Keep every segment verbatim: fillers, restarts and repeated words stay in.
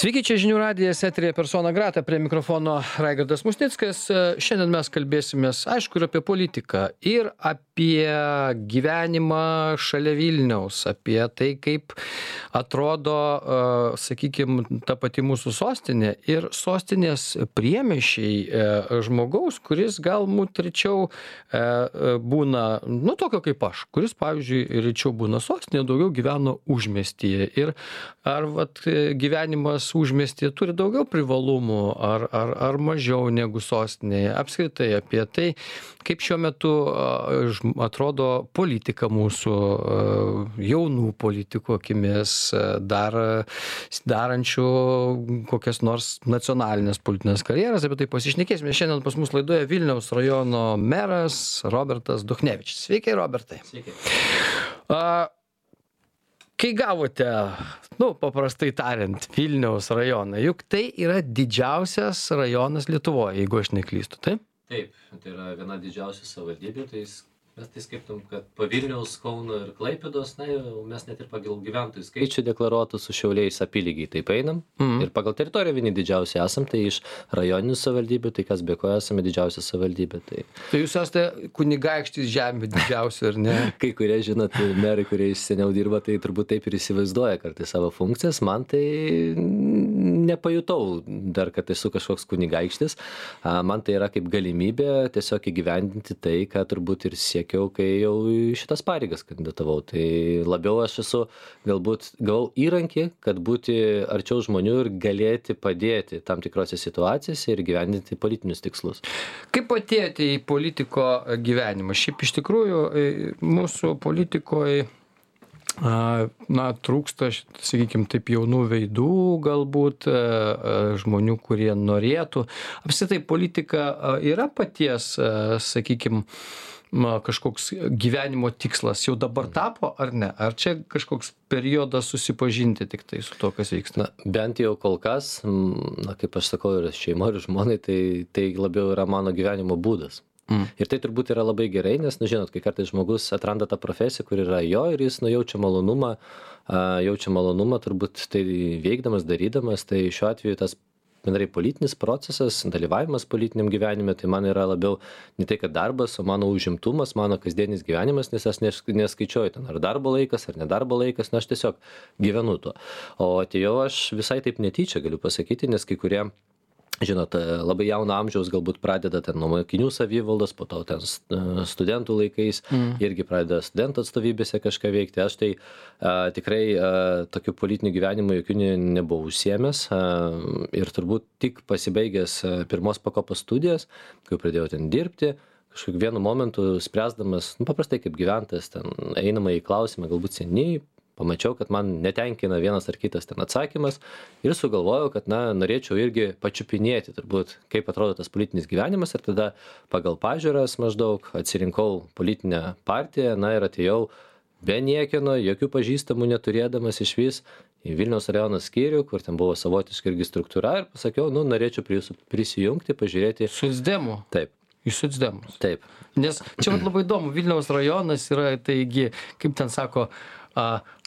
Sveiki, čia žinių radijas, eterija persona grata, prie mikrofono Raigardas Musnickas. Šiandien mes kalbėsimės, aišku, ir apie politiką, ir apie gyvenimą šalia Vilniaus, apie tai, kaip atrodo, sakykime, ta pati mūsų sostinė ir sostinės priemiesčiai žmogaus, kuris galbūt rečiau būna, nu, tokio kaip aš, kuris, pavyzdžiui, rečiau būna sostinėje, daugiau gyveno užmiestyje. Ir ar vat, gyvenimas užmiestyje turi daugiau privalumų ar, ar, ar mažiau negu sostinėje. Apskritai apie tai, kaip šiuo metu atrodo politika mūsų jaunų politikų akimis, dar, darančių kokias nors nacionalinės politinės karjeras. Apie tai pasišnekėsime. Šiandien pas mus laidoje Vilniaus rajono meras Robertas Duchnevičius. Sveiki, Robertai. Sveiki. A, Kai gavote, nu, paprastai tariant, Vilniaus rajoną, juk tai yra didžiausias rajonas Lietuvoje, jeigu aš neklystu, taip? Taip, tai yra viena didžiausių savivaldybių, tai mes tai skaitom, kad po Vilniaus, Kauno ir Klaipėdos, na, mes net ir pagal gyventojų skaičių deklaruotų su Šiauliais apylygiai taip einam. Mm. Ir pagal teritoriją vieni didžiausi esam, tai iš rajoninių savivaldybių, tai kas be ko esame didžiausia savivaldybė. Tai, tai jūs esate kunigaikštis žemė didžiausia, ar ne? Kai kurie, žinot, merai, kurie iš seniau dirba, tai turbūt taip ir įsivaizduoja kartais savo funkcijas. Man tai nepajutau dar, kad esu kažkoks kunigaikštis. Man tai yra kaip galimybė tiesiog įgyvendinti tai, ką turbūt ir siekiau, kai jau į šitas pareigas kandidatavau. Tai labiau aš esu, galbūt gavau įrankį, kad būti arčiau žmonių ir galėti padėti tam tikrose situacijose ir gyvendinti politinius tikslus. Kaip atėjote į politiko gyvenimą? Šiaip iš tikrųjų mūsų politikoje na, trūksta, sakykime, taip jaunų veidų galbūt, žmonių, kurie norėtų. Apskritai politika yra paties, sakykime, kažkoks gyvenimo tikslas jau dabar tapo, ar ne? Ar čia kažkoks periodas susipažinti tik tai su to, kas vyksta? Na, bent jau kol kas, na, kaip aš sakau, ir šeima, ir žmonai, tai, tai labiau yra mano gyvenimo būdas. Mm. Ir tai turbūt yra labai gerai, nes, nu, žinot, kai kartais žmogus atranda tą profesiją, kur yra jo ir jis, nu, jaučia malonumą, jaučia malonumą turbūt tai veikdamas, darydamas, tai šiuo atveju tas bendrai politinis procesas, dalyvavimas politiniam gyvenime, tai man yra labiau ne tai, kad darbas, o mano užimtumas, mano kasdienis gyvenimas, nes aš neskaičiuoju ten ar darbo laikas, ar nedarbo laikas, na aš tiesiog gyvenu tuo. O atėjau aš visai taip netyčia, galiu pasakyti, nes kai kurie, žinot, labai jauno amžiaus galbūt pradeda ten nuo mokinių savivaldos, po to ten studentų laikais, mm. irgi pradeda studentų atstovybėse kažką veikti. Aš tai a, tikrai a, tokiu politiniu gyvenimu jokių ne, nebuvau užsiėmęs a, ir turbūt tik pasibaigęs a, pirmos pakopos studijas, kai pradėjau ten dirbti, kažkokiu vienu momentu spręsdamas, nu, paprastai kaip gyventojas, ten einama į klausimą, galbūt seniai, pamačiau, kad man netenkina vienas ar kitas ten atsakymas ir sugalvojau, kad, na, norėčiau irgi pačiupinėti turbūt, kaip atrodo tas politinis gyvenimas ir tada pagal pažiūras maždaug atsirinkau politinę partiją, na, ir atėjau be niekieno, jokių pažįstamų neturėdamas iš vis į Vilniaus rajono skyrių, kur ten buvo savotiška irgi struktūra ir pasakiau, nu, norėčiau prie jūsų prisijungti, pažiūrėti. Socdemų? Taip. Iš socdemus? Taip. Nes čia labai įdomu, Vilniaus rajonas yra, taigi, kaip ten sako, a,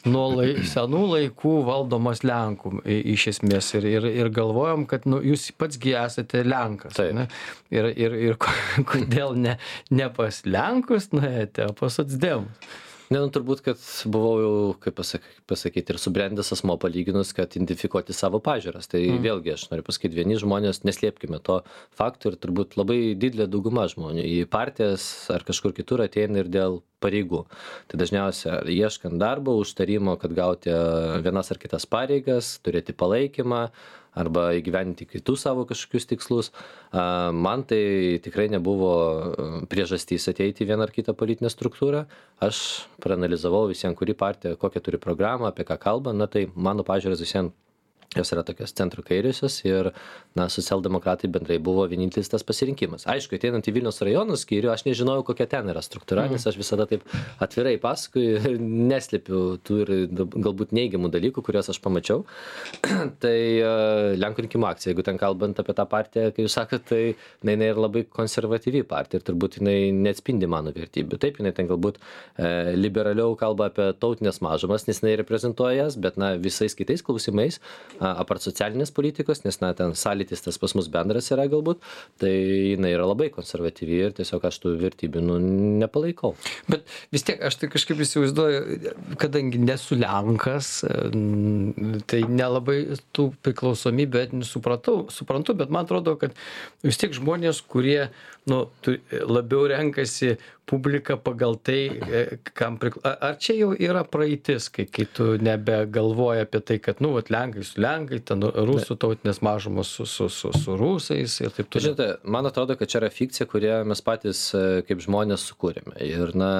nuo lai, senų laikų valdomas Lenkų iš esmės ir, ir, ir galvojom, kad nu, jūs patsgi esate Lenkas. Ne? Ir, ir, ir kodėl ne, ne pas Lenkus nuėjote, o pas socdemus? Ne, nu, turbūt, kad buvau jau, kaip pasak, pasakyti, ir subrendęs asmo palyginus, kad identifikuoti savo pažiūras. Tai mm. vėlgi, aš noriu pasakyti, vieni žmonės, neslėpkime to faktų ir turbūt labai didelė dauguma žmonių į partijas ar kažkur kitur ateina ir dėl pareigų. Tai dažniausia, ieškant darbo, užtarimo, kad gauti vienas ar kitas pareigas, turėti palaikymą arba įgyvendinti kitus savo kažkokius tikslus. Man tai tikrai nebuvo priežastys ateiti į vieną ar kitą politinę struktūrą. Aš praanalizavau visiems, kuri partija, kokią turi programą, apie ką kalba, na tai mano pažiūrės visiems jos yra tokios centro kairiosios ir, na, socialdemokratai bendrai buvo vienintelis tas pasirinkimas. Aišku, ateinant į Vilniaus rajono skyrių, aš nežinojau, kokia ten yra struktūra, mm. nes aš visada taip atvirai pasakoju ir neslėpiu tų ir galbūt neigiamų dalykų, kuriuos aš pamačiau. Tai uh, Lenkų rinkimų akcija, jeigu ten kalbant apie tą partiją, kai jūs sakote, tai jinai yra labai konservatyvi partija ir turbūt jinai neatspindi mano vertybių. Taip, jinai ten galbūt uh, liberaliau kalba apie tautinės mažumas, nes jinai reprezentuoja jas, bet, na, visais kitais klausimais apart socialinės politikos, nes na, ten sąlytis tas pas mus bendras yra galbūt, tai jinai yra labai konservatyvi ir tiesiog aš tų vertybių nu, nepalaikau. Bet vis tiek aš tai kažkaip įsivaizduoju, kadangi nesu Lenkas, tai nelabai tų priklausomybę etinių supratau, suprantu, bet man atrodo, kad vis tiek žmonės, kurie nu, labiau renkasi publiką pagal tai, kam priklauso. Ar čia jau yra praeitis, kai, kai tu nebegalvoji apie tai, kad, nu, vat, Lenkai su Lenkai, ten rusų tautinės mažumos su, su, su, su rusais ir taip toliau. Žinote, man atrodo, kad čia yra fikcija, kurią mes patys kaip žmonės sukūrėme. Ir, na,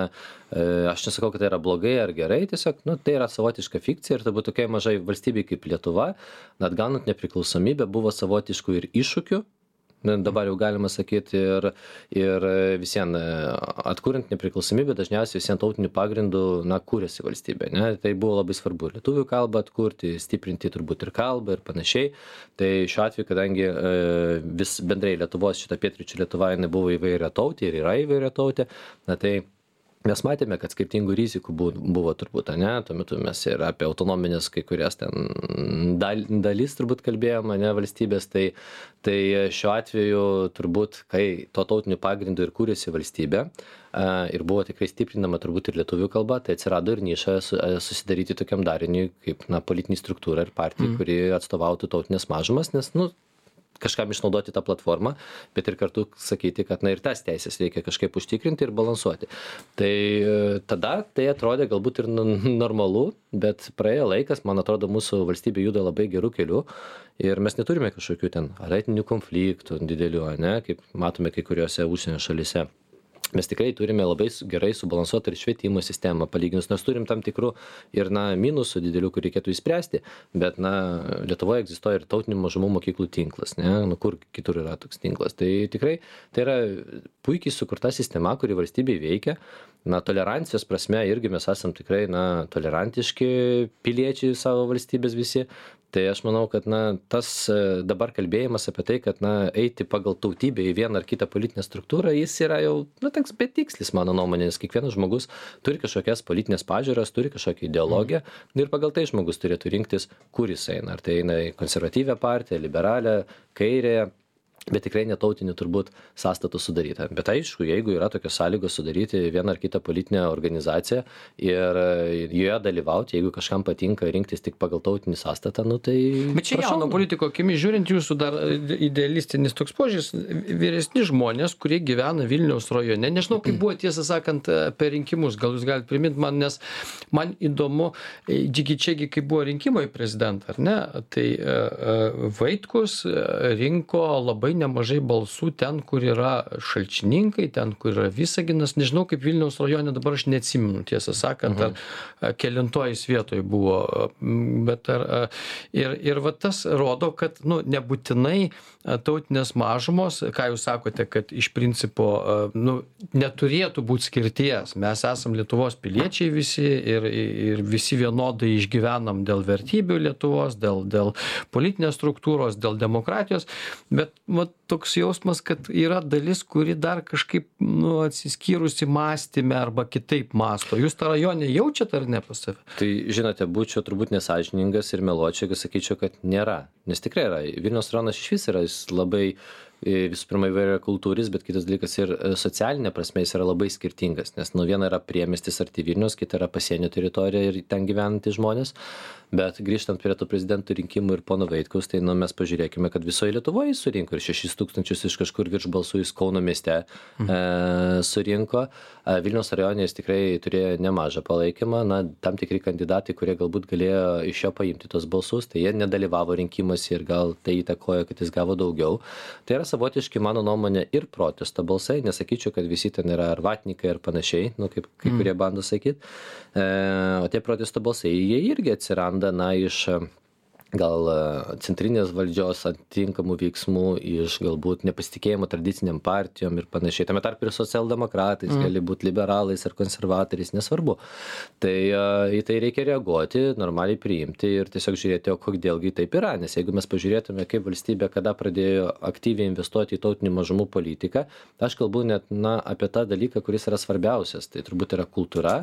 aš nesakau, kad tai yra blogai ar gerai, tiesiog, nu, tai yra savotiška fikcija ir turbūt tokiai mažai valstybei kaip Lietuva, net gaunant nepriklausomybę, buvo savotiškų ir iššūkių. Dabar jau galima sakyti ir, ir visien atkuriant nepriklausomybę, dažniausiai visien tautinių pagrindų, na, kūrėsi valstybė, ne? Tai buvo labai svarbu ir lietuvių kalbą atkurti, stiprinti turbūt ir kalbą ir panašiai. Tai šiuo atveju, kadangi vis bendrai Lietuvos, šita pietryčių Lietuva, jinai buvo įvairia tautė ir yra įvairia tautė, na tai mes matėme, kad skirtingų rizikų buvo turbūt, ne, tuo metu mes ir apie autonominės kai kurias ten dal, dalis turbūt kalbėjome, ne, valstybės, tai, tai šiuo atveju turbūt, kai to tautinių pagrindų ir kūrėsi valstybė ir buvo tikrai stiprinama turbūt ir lietuvių kalba, tai atsirado ir niša susidaryti tokiam dariniui kaip, na, politinį struktūrą ir partiją, mm. kuri atstovautų tautinės mažumas, nes, nu, kažkam išnaudoti tą platformą, bet ir kartu sakyti, kad na ir tas teisės reikia kažkaip užtikrinti ir balansuoti. Tai tada tai atrodė galbūt ir normalu, bet praėjo laikas, man atrodo, mūsų valstybė juda labai gerų kelių ir mes neturime kažkokių ten ar etninių konfliktų didelių, ne, kaip matome kai kuriuose užsienio šalyse. Mes tikrai turime labai gerai subalansuotą ir švietimo sistemą palyginus, nors turim tam tikrų ir, na, minusų didelių, kur reikėtų įspręsti, bet, na, Lietuvoje egzistuoja ir tautinių mažumų mokyklų tinklas, ne, nu, kur kitur yra toks tinklas. Tai tikrai tai yra puikiai sukurta sistema, kuri valstybėje veikia. Na, tolerancijos prasme irgi mes esam tikrai, na, tolerantiški piliečiai savo valstybės visi. Tai aš manau, kad, na, tas dabar kalbėjimas apie tai, kad, na, eiti pagal tautybę į vieną ar kitą politinę struktūrą, jis yra jau, na, toks betikslis, mano nuomonė, nes kiekvienas žmogus turi kažkokias politinės pažiūras, turi kažkokią ideologiją ir pagal tai žmogus turėtų rinktis, kur jis eina. Ar tai eina į konservatyvią partiją, liberalią, kairę, bet tikrai netautinių turbūt sąstatų sudaryta. Bet aišku, jeigu yra tokios sąlygos sudaryti vieną ar kitą politinę organizaciją ir joje dalyvauti, jeigu kažkam patinka rinktis tik pagal tautinį sąstatą, nu tai... Bet čia jauno politiko akimis žiūrint, jūsų dar idealistinis toks požiūris, vyresni žmonės, kurie gyvena Vilniaus rajone, nežinau, kaip buvo tiesą sakant per rinkimus, gal jūs galite priminti man, nes man įdomu, džigičiagi, kaip buvo rinkimai prezidentą, ar ne, tai Vaitkus rinko labai nemažai balsų ten, kur yra Šalčininkai, ten, kur yra Visaginas. Nežinau, kaip Vilniaus rajone, dabar aš neatsimenu, tiesą sakant, uh-huh. ar kelintojais vietoj buvo. Bet ar, ir, ir va tas rodo, kad nu, nebūtinai tautinės mažumos, ką jūs sakote, kad iš principo nu, neturėtų būti skirties. Mes esam Lietuvos piliečiai visi ir, ir visi vienodai išgyvenam dėl vertybių Lietuvos, dėl, dėl politinės struktūros, dėl demokratijos, bet va, toks jausmas, kad yra dalis, kuri dar kažkaip nu, atsiskyrusi mąstyme arba kitaip mąsto. Jūs tą rajonę jaučiat ar ne pas save? Tai, žinote, būčiau turbūt nesąžiningas ir meluočiau, jeigu sakyčiau, kad nėra. Nes tikrai yra. Vilniaus rajonas iš vis yra labai visų pirma įvairia kultūris, bet kitas dalykas ir socialinė prasme jis yra labai skirtingas, nes nu viena yra priemiestis arti Vilniaus, kita yra pasienio teritorija ir ten gyvenantys žmonės, bet grįžtant prie tų prezidentų rinkimų ir pono Vaitkaus, tai nu mes pažiūrėkime, kad visoje Lietuvoje jis surinko ir šešis tūkstančius iš kažkur virš balsų jis Kauno mieste mhm. e, surinko, e, Vilniaus rajone jis tikrai turėjo nemažą palaikymą, na tam tikri kandidatai, kurie galbūt galėjo iš jo paimti tos balsus, tai jie nedalyvavo rinkimuose ir gal tai įtakojo, kad jis gavo daugiau. Tai yra savotiški, mano nuomonė, ir protesto balsai, nesakyčiau, kad visi ten yra ar vatnikai ar panašiai, nu, kaip kai kurie bando sakyti, e, o tie protesto balsai, jie irgi atsiranda, na, iš gal centrinės valdžios atitinkamų veiksmų, iš galbūt nepasitikėjimo tradiciniam partijom ir panašiai. Tame tarp ir socialdemokratais, mm. gali būti liberalais ar konservatoriais, nesvarbu. Tai į tai reikia reaguoti, normaliai priimti ir tiesiog žiūrėti, o kodėlgi taip yra. Nes jeigu mes pažiūrėtume, kaip valstybė kada pradėjo aktyviai investuoti į tautinių mažumų politiką, aš kalbu net na, apie tą dalyką, kuris yra svarbiausias. Tai turbūt yra kultūra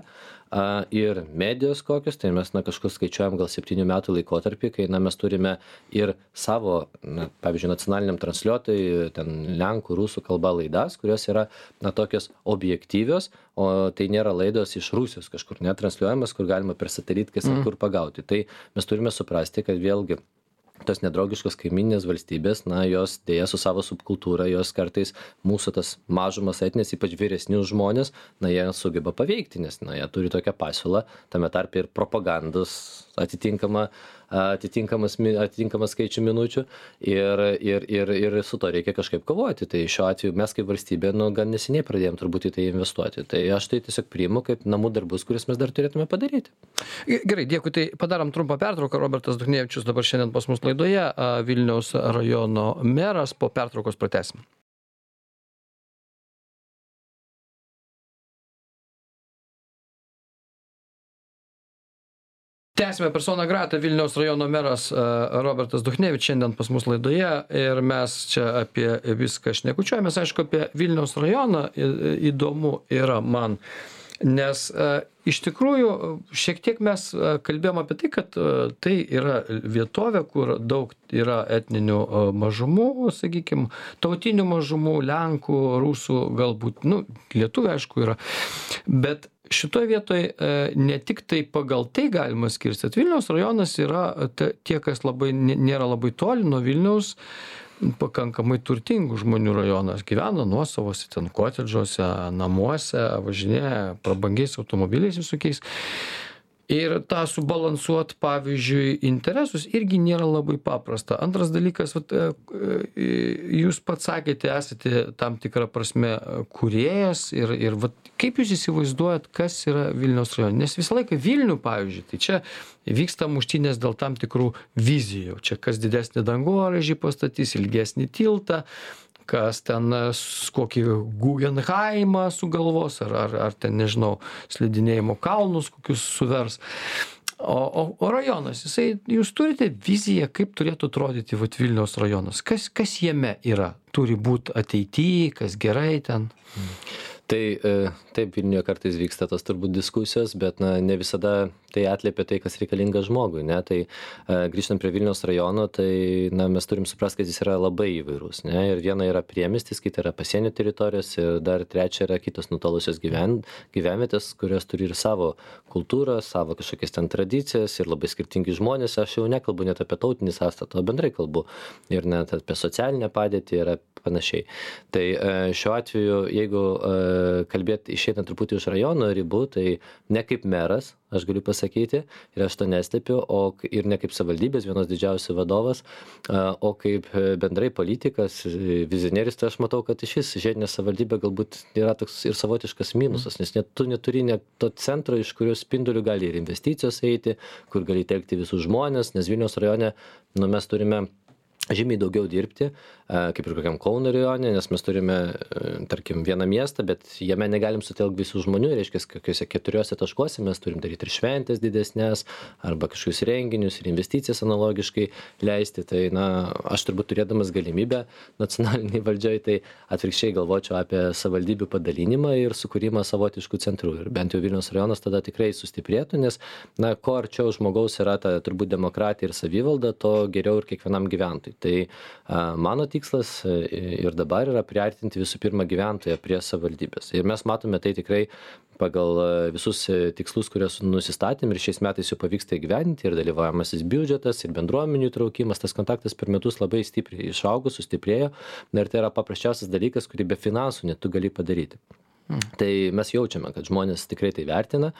a, ir medijos kokios. Tai mes na, kažkur skaičiuojam gal septynių metų laikotarpį, kai na, mes turime ir savo, na, pavyzdžiui, nacionaliniam transliuotojui, ten lenkų, rusų kalba laidas, kurios yra, na, tokios objektyvios, o tai nėra laidos iš Rusijos kažkur netransliuojamas, kur galima per satelit kas ir kur pagauti. Tai mes turime suprasti, kad vėlgi tos nedraugiškos kaiminės valstybės, na, jos dėja su savo subkultūra, jos kartais mūsų tas mažumas etnės, ypač vyresnius žmonės, na, jie sugeba paveikti, nes, na, jie turi tokią pasiūlą, tame tarpe ir propagandos atitinkamą, atitinkamas, atitinkamas skaičių minučių ir, ir, ir, ir su to reikia kažkaip kovoti. Tai šiuo atveju mes kaip valstybė, nu, gan neseniai pradėjom turbūt į tai investuoti. Tai aš tai tiesiog priimu kaip namų darbus, kuris mes dar turėtume padaryti. Gerai, dėkui. Tai padarom trumpą pertrauką. Robertas Duchnevičius dabar šiandien pas mus laidoje, Vilniaus rajono meras, po pertraukos pratęsim. Tęsime persona grata, Vilniaus rajono meras Robertas Duchnevičius šiandien pas mus laidoje ir mes čia apie viską šnekučiuojamės, aišku, apie Vilniaus rajoną įdomu yra man, nes iš tikrųjų šiek tiek mes kalbėjom apie tai, kad tai yra vietovė, kur daug yra etninių mažumų, sakykime, tautinių mažumų, lenkų, rusų, galbūt, nu, lietuvių aišku yra, bet šitoje vietoje ne tik tai pagal tai galima skirstyti. Vilniaus rajonas yra tie, kas labai, nėra labai toli nuo Vilniaus, pakankamai turtingų žmonių rajonas. Gyvena nuosavose, ten kotedžuose, namuose, važinėja prabangiais automobiliais visokiais. Ir tą subalansuot, pavyzdžiui, interesus irgi nėra labai paprasta. Antras dalykas, vat, jūs pats sakėte, esate tam tikrą prasme kūrėjas ir, ir vat, kaip jūs įsivaizduojat, kas yra Vilniaus rajone? Nes visą laiką Vilnių, pavyzdžiui, tai čia vyksta muštynės dėl tam tikrų vizijų. Čia kas didesnį dangoraižį pastatys, ilgesnį tiltą, kas ten kokį Guggenheimą sugalvos, ar, ar, ar ten, nežinau, slidinėjimo kalnus kokius suvers. O, o, o rajonas, jisai, jūs turite viziją, kaip turėtų atrodyti vat, Vilniaus rajonas? Kas, kas jame yra? Turi būti ateityje, kas gerai ten? Hmm. Tai taip, Vilniuje kartais vyksta tos turbūt diskusijos, bet na, ne visada tai atliepia tai, kas reikalinga žmogui. Ne? Tai grįžtant prie Vilniaus rajono, tai na, mes turim suprasti, kad jis yra labai įvairus. Ne? Ir viena yra priemiestis, kita yra pasienio teritorijos ir dar trečia yra kitos nutolusios gyven, gyvenvietės, kurios turi ir savo kultūrą, savo kažkokias ten tradicijas ir labai skirtingi žmonės. Aš jau nekalbu net apie tautinį sąstatą, o bendrai kalbu ir net apie socialinę padėtį ir panašiai. Tai šiuo atveju, jeigu kalbėti išeinant truputį iš rajono ribų, tai ne kaip meras, aš galiu pasakyti, ir aš to nestepiu, o ir ne kaip savivaldybės vienos didžiausių vadovas, o kaip bendrai politikas, vizionierius, tai aš matau, kad iš vis žiedinė savivaldybė galbūt yra toks ir savotiškas minusas, nes net tu neturi net to centro, iš kurio spindulių gali ir investicijos eiti, kur gali telkti visus žmonės, nes Vilniaus rajone nu, mes turime žymiai daugiau dirbti, kaip ir kokiam Kauno rajone, nes mes turime, tarkim, vieną miestą, bet jame negalim sutelkti visų žmonių, reiškia, kokiuose keturiuose taškuose mes turim daryti ir šventės didesnės, arba kažkokius renginius ir investicijas analogiškai leisti. Tai, na, aš turbūt turėdamas galimybę nacionaliniai valdžiai, tai atvirkščiai galvočiau apie savivaldybių padalinimą ir sukūrimą savotiškų centrų. Ir bent jau Vilniaus rajonas tada tikrai sustiprėtų, nes, na, ko arčiau žmogaus yra ta turbūt demokratija ir savivalda, to geriau ir kiekvienam gyventojui. Tai a, mano tikslas ir dabar yra priartinti visų pirma gyventoją prie savivaldybės. Ir mes matome tai tikrai pagal visus tikslus, kuriuos nusistatėm ir šiais metais jau pavyksta įgyvendinti ir dalyvaujamasis biudžetas ir bendruomenių įtraukimas, tas kontaktas per metus labai stipriai išaugo, sustiprėjo. Ir tai yra paprasčiausias dalykas, kurį be finansų net tu gali padaryti. Hmm. Tai mes jaučiame, kad žmonės tikrai tai vertina.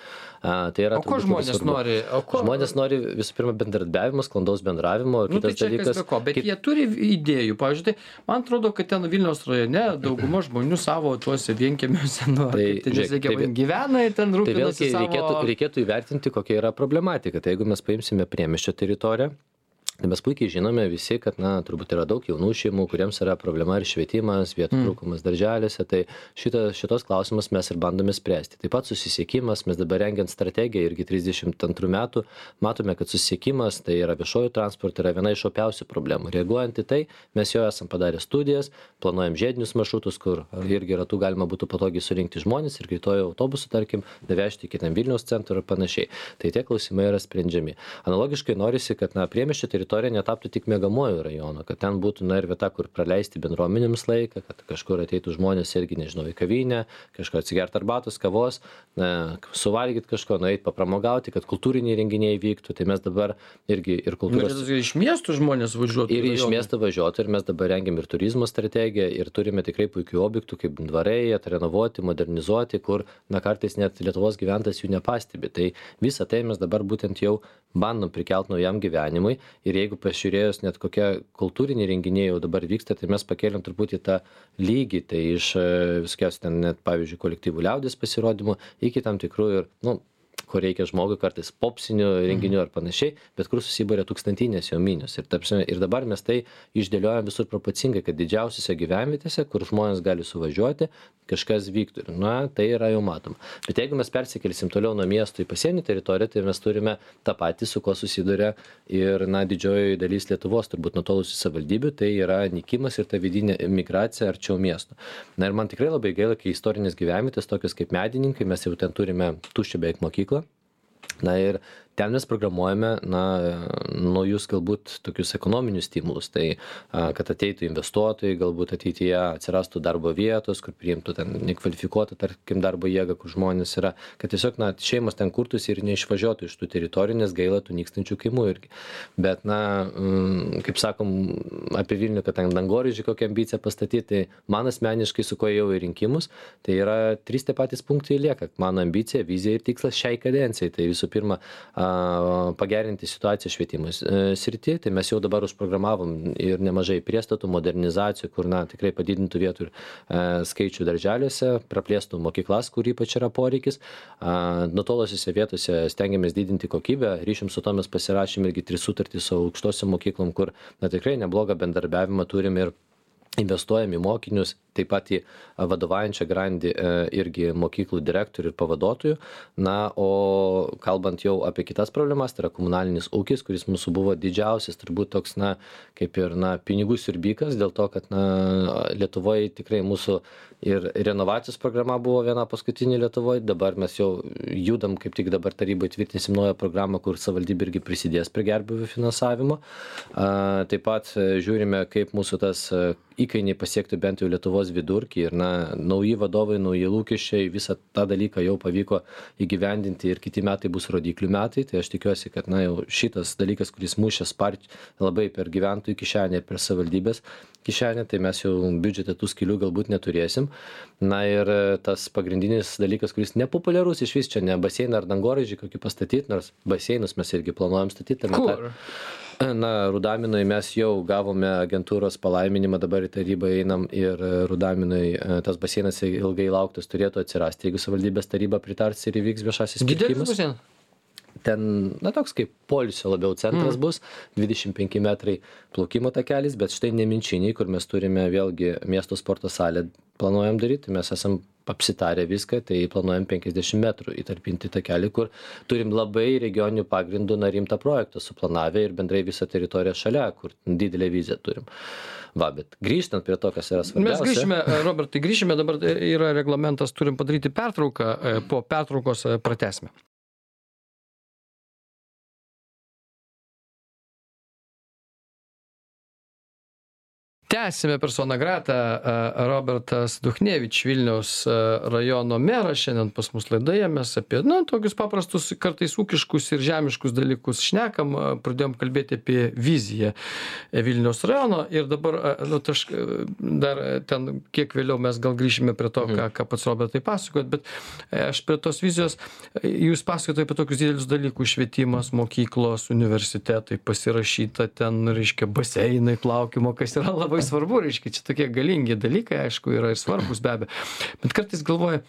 A, tai yra o ko žmonės nori? O ko... Žmonės nori visų pirma bendradarbiavimo, sklandaus bendravimo. Nu, tai čia dalykas, kas be ko, bet kaip... jie turi idėjų. Pavyzdžiui, tai man atrodo, kad ten Vilniaus rajone dauguma žmonių savo tuose vienkiemiuose, nu, tai, ten, žiūrėk, tai, gyvena ir ten rūpinasi tai savo... Reikėtų, reikėtų įvertinti, kokia yra problematika. Tai jeigu mes paimsime priemiesčio teritoriją, tai mes puikiai žinome visi, kad, na, turbūt yra daug jaunų šeimų, kuriems yra problema ir švietimas, vietų mm. trūkumas darželiuose, tai šita, šitos klausimus mes ir bandome spręsti. Taip pat susisiekimas, mes dabar rengiant strategiją irgi trisdešimt antrų metų, matome, kad susisiekimas, tai yra viešojo transporto, yra viena iš opiausių problemų. Reaguojant į tai, mes jau esam padarę studijas, planuojam žiedinius maršrutus, kur irgi ratų galima būtų patogiai surinkti žmonės ir greitojo autobusų, tarkim, nuvežti iki ten Vilniaus centro ir panašiai. Tai tie klausimai yra sprendžiami. Analogiškai norisi, kad, na, priemiesčio teritorijoje teritorija netaptų tik miegamuoju rajonu, kad ten būtų, na, ir vieta, kur praleisti bendruomenėms laiką, kad kažkur ateitų žmonės irgi, nežinau, į kavinę, kažko atsigerti arbatos, kavos, na, suvalgyti kažko, nueiti papramogauti, kad kultūriniai renginiai vyktų. Tai mes dabar irgi ir kultūros... Ir iš miestų žmonės važiuotų. Ir iš miesto važiuotų, ir mes dabar rengiam ir turizmo strategiją, ir turime tikrai puikių objektų, kaip dvarai, atrenovuoti, modernizuoti, kur, na, kartais net Lietuvos gyventojas jų nepastebi. Tai visą tai mes dabar būtent jau bandom prikelt naujam gyvenimui, ir jeigu pažiūrėjus net kokie kultūriniai renginiai jau dabar vyksta, tai mes pakėlėm truputį tą lygį, tai iš viskiausiai ten net, pavyzdžiui, kolektyvų liaudės pasirodymų iki tam tikrų ir, nu, kur reikia žmogui kartais popsinių renginių ar panašiai, bet kur susibūrė tūkstantinės jo minios. Ir, tapsime, ir dabar mes tai išdėliojam visur proporcingai, kad didžiausiose gyvenvietėse, kur žmonės gali suvažiuoti, kažkas vyktų. Ir, na, tai yra jau matoma. Bet jeigu mes persikelsim toliau nuo miesto į pasienį teritoriją, tai mes turime tą patį, su ko susiduria ir, na, didžioji dalis Lietuvos, turbūt nutolusių savivaldybių, tai yra nykimas ir ta vidinė migracija arčiau miesto. Na ir man tikrai labai gaila, kai istorinės gyvenvietės, tokios kaip Medininkai, mes jau ten turime tuščią beveik mokyklą. Na ir ten mes programuojame, na, naujus galbūt tokius ekonominius stimulus, tai kad ateitų investuotojai, galbūt ateityje atsirastų darbo vietos, kur priimtų ten nekvalifikuotą, tarkim, darbo jėgą, kur žmonės yra, kad tiesiog, na, šeimos ten kurtųsi ir neišvažiuotų iš tų teritorijų, nes gaila tų nykstančių kaimų irgi. Bet, na, kaip sakom, apie Vilnių, kad ten dangoraižį kokią ambiciją pastatyti, tai man asmeniškai, su ko jau į rinkimus, tai yra trys tie patys punktai lieka. Mano ambicija, vizija ir tikslas šiai kadencijai. Tai visų pirma, pagerinti situaciją švietimo srityje, tai mes jau dabar užprogramavom ir nemažai priestatų, modernizacijų, kur, na, tikrai padidintų vietų ir skaičių darželiuose, praplėstų mokyklas, kur ypač yra poreikis. Nutolosiuose vietose stengiamės didinti kokybę, ryšium su to mes pasirašėm irgi tris sutartys su aukštosiom mokyklom, kur, na, tikrai neblogą bendarbiavimą turim ir investuojam į mokinius, taip pat į vadovaujančią grandį irgi mokyklų direktorių ir pavaduotojų. Na, o kalbant jau apie kitas problemas, tai yra komunalinis ūkis, kuris mūsų buvo didžiausias, turbūt toks, na, kaip ir, na, pinigų siurbikas, dėl to, kad, na, Lietuvoje tikrai mūsų ir renovacijos programa buvo viena paskutinė Lietuvoje, dabar mes jau judam, kaip tik dabar tarybai tvirtinsim naują programą, kur savivaldybė irgi prisidės prie gerbūvių finansavimo. Taip pat žiūrime, kaip mūsų tas įkainiai pasiektų bent jau Lietuvos vidurkį ir, na, nauji vadovai, nauji lūkesčiai, visą tą dalyką jau pavyko įgyvendinti ir kiti metai bus rodiklių metai, tai aš tikiuosi, kad, na, jau šitas dalykas, kuris mušė sparčiai labai per gyventojų kišenę ir per savivaldybės kišenę, tai mes jau biudžete tų skylių galbūt neturėsim. Na ir tas pagrindinis dalykas, kuris nepopuliarus iš vis, čia ne baseiną ar dangoraižį kokį pastatyti, nors baseinus mes irgi planuojam statyti. Kur? Na, Rudaminui mes jau gavome agentūros palaiminimą, dabar į tarybą einam ir Rudaminui tas baseinas ilgai lauktas turėtų atsirasti, jeigu savivaldybės taryba pritars ir įvyks viešasis pirkimas. Didelis baseinas? Ten, na, toks kaip poilsio labiau centras mm. bus, dvidešimt penki metrai plaukimo takelis, bet štai Neminčiniai, kur mes turime vėlgi miesto sporto salę, planuojam daryti, mes esam apsitarę viską, tai planuojam penkiasdešimt metrų įtarpinti takelį, kur turim labai regioninių pagrindų na rimtą projektą suplanavę ir bendrai visą teritoriją šalia, kur didelę viziją turim. Va, bet grįžtant prie to, kas yra svarbiausia. Mes grįžime, Robertai, grįžime, dabar yra reglamentas, turim padaryti pertrauką, po pertraukos pratęsime. Tęsime persona grata. Robertas Duchnevič, Vilniaus rajono meras, šiandien pas mus laidoje. Mes apie, na, tokius paprastus, kartais ūkiškus ir žemiškus dalykus šnekam. Pradėjom kalbėti apie viziją Vilniaus rajono ir dabar, nu, taš, dar ten kiek vėliau mes gal grįšime prie to, ką, ką pats Robertai pasakot, bet aš prie tos vizijos, jūs pasakote apie tokius didelius dalykus, švietimas, mokyklos, universitetai, pasirašyta ten, reiškia, baseinai, plaukimo, kas yra labai svarbu, reiškia, čia tokie galingi dalykai, aišku, yra ir svarbus be abejo. Bet kartais galvoju,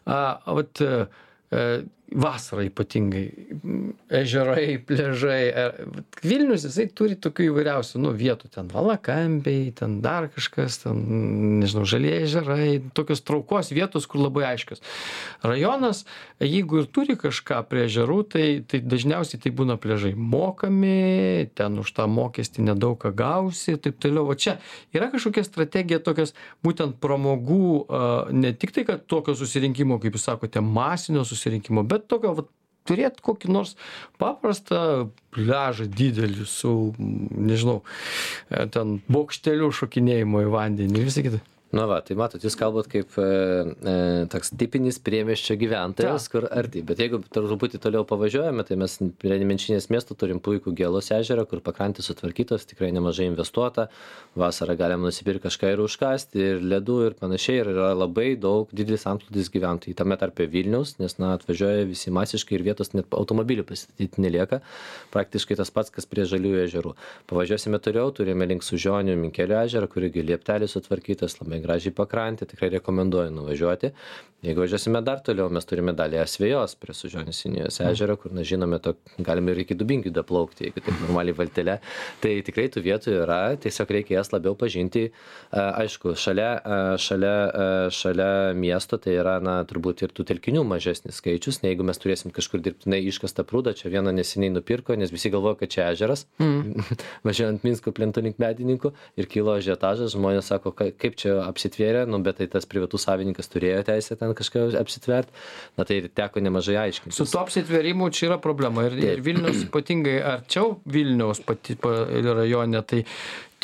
a, vat, a, vasarą ypatingai, ežerai, pležai. Vilnius, jisai turi tokių įvairiausių, nu, vietų, ten Valakampiai, ten dar kažkas, ten, nežinau, žalieji ežerai, tokios traukos vietos, kur labai aiškios. Rajonas, jeigu ir turi kažką prie ežerų, tai, tai dažniausiai tai būna pležai mokami, ten už tą mokestį nedaug ką gausi, taip toliau. O čia yra kažkokia strategija tokios būtent pramogų, ne tik tai, kad tokio susirinkimo, kaip jūs sakote, masinio susirinkimo, bet tokio vat, turėt kokį nors paprastą pliažą didelį su, nežinau, ten bokšteliu šokinėjimo į vandenį, visą kitą. Na va, tai matot, jūs kalbat kaip e, e, toks tipinis priemiesčio gyventojas, kur arti. Bet jeigu truputį toliau pavažiuojame, tai mes prie Nemenčinės miesto turim puikų Gėlos ežerą, kur pakrantės sutvarkytos, tikrai nemažai investuota. Vasarą galima nusipirkti kažką ir užkasti, ir ledų, ir panašiai. Ir yra labai daug didelis antplūdis gyventojų. Tame tarpe Vilniaus, nes na, atvažiuoja visi masiškai ir vietos net automobilių pasistatyti nelieka. Praktiškai tas pats, kas prie Žaliųjų ežerų. Pavažiuosime toliau, turime link Sužionių Minkelio ežerą, kur irgi lieptelis sutvarkytas, labai gražiai pakrantė, tikrai rekomenduoju nuvažiuoti. Jeigu važiuosime dar toliau, mes turime dalį Asvejos prie Sužionės Sinijos ežero, kur, na, žinome, to, galime ir iki Dubingių daplaukti, jeigu taip normaliai valtelė. Tai tikrai tų vietų yra, tiesiog reikia jas labiau pažinti. Aišku, šalia, šalia, šalia miesto tai yra, na, turbūt ir tų telkinių mažesnis skaičius, ne jeigu mes turėsim kažkur dirbtinai iškastą prūdą, čia vieną neseniai nupirko, nes visi galvoja, kad čia ežeras, mm. važiuojant Minsko plentu link Medininkų ir kilo ažiotažas, žmonės sako, kaip čia apsitvėrė, nu, bet tai tas privatus savininkas turėjo teisę ten kažką apsitvert, na tai teko nemažai aiškintis. Su to apsitvėrimu čia yra problema ir, ir Vilnius ypatingai arčiau Vilniaus pati rajone, tai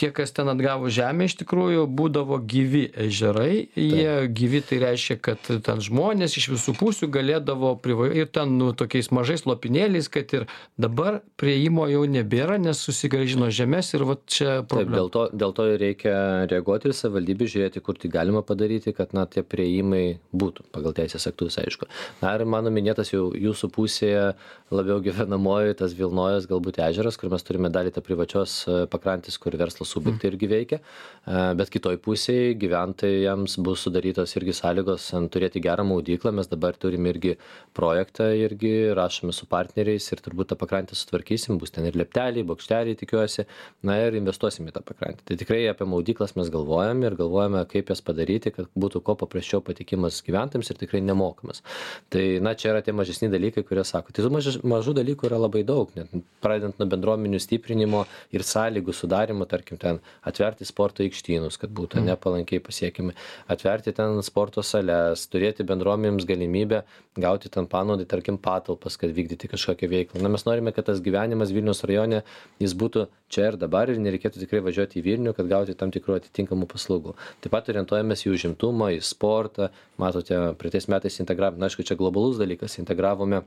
tie, kas ten atgavo žemę, iš tikrųjų būdavo gyvi ežerai, jie Taip. gyvi, tai reiškia, kad ten žmonės iš visų pusių galėdavo priva... ir ten, nu, tokiais mažais lopinėliais, kad ir dabar prieimo jau nebėra, nes susigrąžino žemės ir va čia problema. Taip, dėl to, dėl to reikia reaguoti ir savivaldybė žiūrėti, kur tai galima padaryti, kad, na, tie prieimai būtų pagal teisės aktus, aišku. Na ir mano minėtas jau jūsų pusėje labiau gyvenamoji tas Vilnojos galbūt ežeras, kur mes turime dalį tą privačios pakrantės, kur verslas subjektai irgi veikia, bet kitoj pusėje gyventojams bus sudarytos irgi sąlygos turėti gerą maudyklą. Mes dabar turime irgi projektą, irgi rašome su partneriais ir turbūt tą pakrantę sutvarkysim, bus ten ir lepteliai, bokšteliai, tikiuosi, na ir investuosim į tą pakrantę. Tai tikrai apie maudyklas mes galvojame ir galvojame, kaip jas padaryti, kad būtų kuo paprasčiau patikimas gyventojams ir tikrai nemokamas. Tai, na, čia yra tie mažesni dalykai, kurie sako. Tai tų maž, mažų dalykų yra labai daug, net pradedant nuo bendruomenių stiprinimo ir sąlygų sudarimo, tarkim, ten atverti sporto aikštynus, kad būtų nepalankiai pasiekimi, atverti ten sporto sales, turėti bendruomenėms galimybę gauti ten panaudai, tarkim, patalpas, kad vykdyti kažkokią veiklą. Na, mes norime, kad tas gyvenimas Vilniaus rajone, jis būtų čia ir dabar ir nereikėtų tikrai važiuoti į Vilnių, kad gauti tam tikrų atitinkamų paslaugų. Taip pat orientuojamės į užimtumą, į sportą. Matote, praeitais metais integravome, na, aišku, čia globalus dalykas, integravome